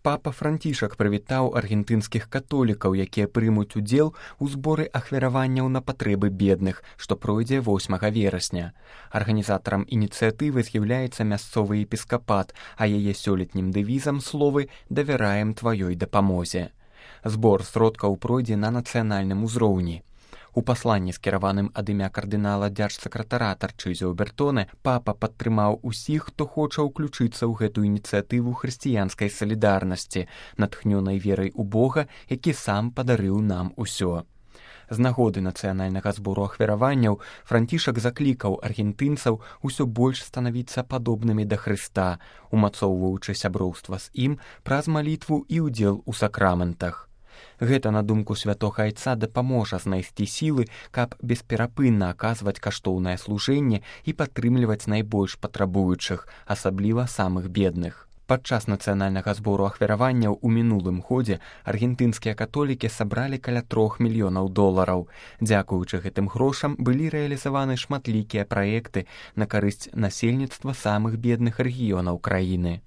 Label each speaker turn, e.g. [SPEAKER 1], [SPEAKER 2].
[SPEAKER 1] Папа Францішак прывітаў аргентынскіх католікаў, якія прымуць удзел у зборы ахвяраванняў на патрэбы бедных, што пройдзе 8 верасня. Арганізатарам ініцыятывы з'яўляецца мясцовы епіскапат, а яе сёлетнім дэвізам словы «Давяраем тваёй дапамозе». Збор сродкаў пройдзе на нацыянальным узроўні. У пасланні, скіраваным ад імя кардынала дзяржсакратара Тарчызіо Бертоне, папа падтрымаў усіх, хто хоча ўключыцца ў гэту ініцыятыву хрысціянскай салідарнасці, натхнёнай верай у Бога, які сам падарыў нам усё. З нагоды нацыянальнага збору ахвяраванняў Францішак заклікаў аргентынцаў усё больш станавіцца падобнымі да Хрыста, умацоўваючы сяброўства з ім праз малітву і ўдзел у сакраментах. Гэта, на думку святога айца, дапаможа знайсці сілы, каб бесперапынна аказваць каштоўнае служэнне і падтрымліваць найбольш патрабуючых, асабліва самых бедных. Падчас нацыянальнага збору ахвяраванняў у мінулым годзе аргентынскія католікі сабралі каля $3 мільёнаў. Дзякуючы гэтым грошам былі рэалізаваны шматлікія праекты на карысць насельніцтва самых бедных рэгіёнаў краіны.